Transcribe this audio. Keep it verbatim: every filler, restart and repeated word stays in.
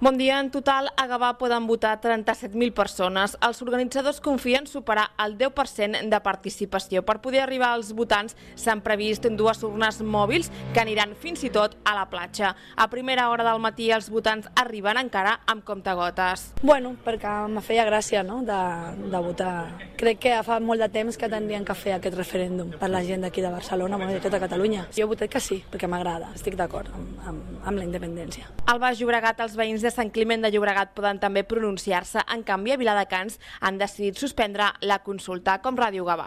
Bon dia. En total, a Gavà poden votar trenta-set mil persones. Els organitzadors confien superar el deu per cent de participació. Per poder arribar als votants s'han previst dues urnes mòbils que aniran fins i tot a la platja. A primera hora del matí els votants arriben encara amb comptagotes. Bueno, perquè me feia gràcia, no?, de, de votar. Crec que fa molt de temps que tindrien que fer aquest referèndum per la gent d'aquí de Barcelona, bueno, de tota Catalunya. Jo he votat que sí, perquè m'agrada, estic d'acord amb, amb, amb la independència. Al Baix Llobregat, els veïns de Sant Climent de Llobregat poden també pronunciar-se. En canvi, a Viladecans han decidit suspendre la consulta, com Ràdio Gavà.